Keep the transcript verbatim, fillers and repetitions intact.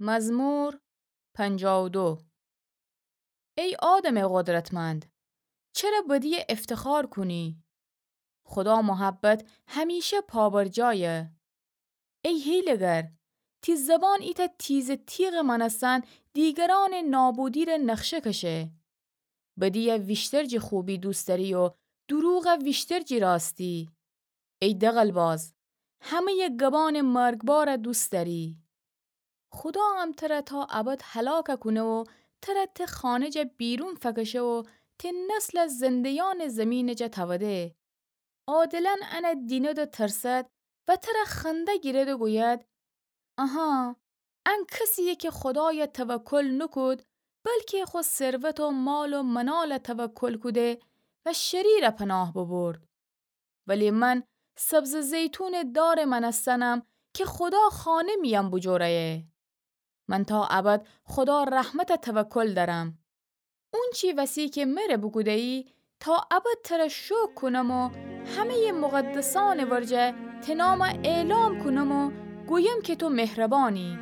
مزمور پنجاه و دو. ای آدمٚ قدرتمند، چره بدیی افتخار کونی؟ خودا محبت همیشه پابرجایه. ای حیله‌گر، تی زبان ایتأ تیزٚ تیغٚ مأنستن دیگرأنٚ نابودی‌ره نقشه کشه. بدیی ویشتر جی خوبی دوست دأری و دروغ ویشتر جی راستی. ای دغل‌باز، همه‌یٚ گبأنٚ مرگبار دوست دأری. خودا ام تره تا ابد هلاک کونه و تره ته خانه جا بیرون فکشه و ته نسل زنده‌یأنٚ زیمین جا توده. عادلأن ان دیند و ترسد و تره خنده گیرد و گوید: آها، ان کسی‌یه که خودای توکل نوکود، بلکه خو ثروت و مال و منال توکل کوده و شریر پناه ببرد. ولی من سبزٚ زیتونٚ دارٚ مأنستنم که خودا خانه میأن بوجوره‌یه. من تا ابد خودا رحمت توکل دأرم. اونچی وسی که مره بوکوده‌یی، تا ابد تره شوکر کونم و همه‌یٚ مقدسأنٚ ورجه ته نام اعلام کونم و گویم که تو مهربانی.